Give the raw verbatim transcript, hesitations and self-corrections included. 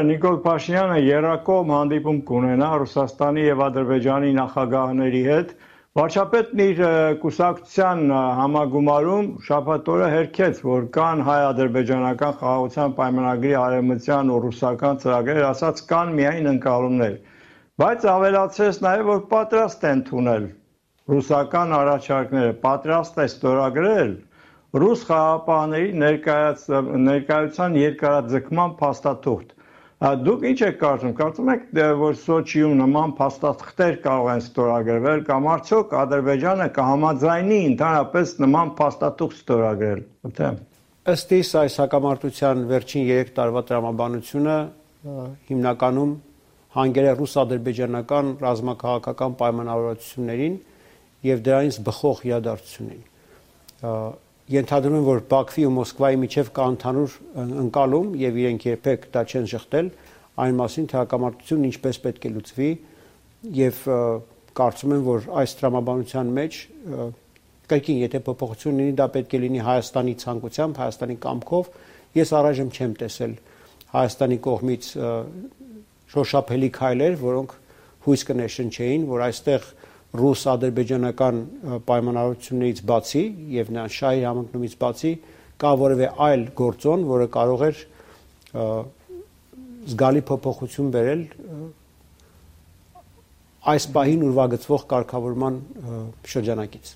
Նիկոլ Փաշինյանը եռակողմ հանդիպում կունենա Ռուսաստանի եւ Ադրբեջանի նախագահների հետ։ Վարչապետն իր կուսակցության համագումարում շաբաթ օրը հերքեց, որ կան հայ-ադրբեջանական խաղաղության պայմանագրի արևմտյան ու ռուսական ծրագրեր, ասաց կան միայն ընկալումներ, բայց ավելացրեց նաեւ, որ պատրաստ են ընդունել ռուսական առաջարկները, պատրաստ է ստորագրել ռուս խաղաղապահների ներկայացան երկարաձգման փաստաթուղթ։ Դուք ինչ եք կարծում, կարծում եք, որ Սոչիում նման փաստաթղթեր կարող են ստորագրվել կամ արդյոք Ադրբեջանը կհամաձայնի ընդհանրապես նման փաստաթուղթ ստորագրել։ Ըստ իս այս հակամարտության վերջին երեք տարվա տրամաբանությունը հիմնականում հանգել է ռուս-ադրբեջանական ռազմաքաղաքական պայմանավորվածություններին եւ դրանից բխող իրադարձություններին։ Ենթադրում եմ, որ Բաքվի ու Մոսկվայի միջև կա ընդհանուր ընկալում եւ իրենք երբեք դա չեն շղթել այն մասին, թե հակամարտությունն ինչպես պետք է լուծվի եւ կարծում եմ, որ այս տրամաբանության մեջ կրկին եթե փոփոխություն լինի, դա պետք է լինի Հայաստանի ցանկությամբ, Հայաստանի կամքով։ Ես առայժմ չեմ տեսել Հայաստանի կողմից շոշափելի քայլեր, որոնք հույս կներշնչեին, որ այստեղ ռուս-ադրբեջանական պայմանավորվածություններից բացի եւ նրան շահի համընկնումից բացի կա որևէ այլ գործոն, որը կարող էր զգալի փոփոխություն բերել այս պահին ուրվագծվող կարգավորման շրջանակից։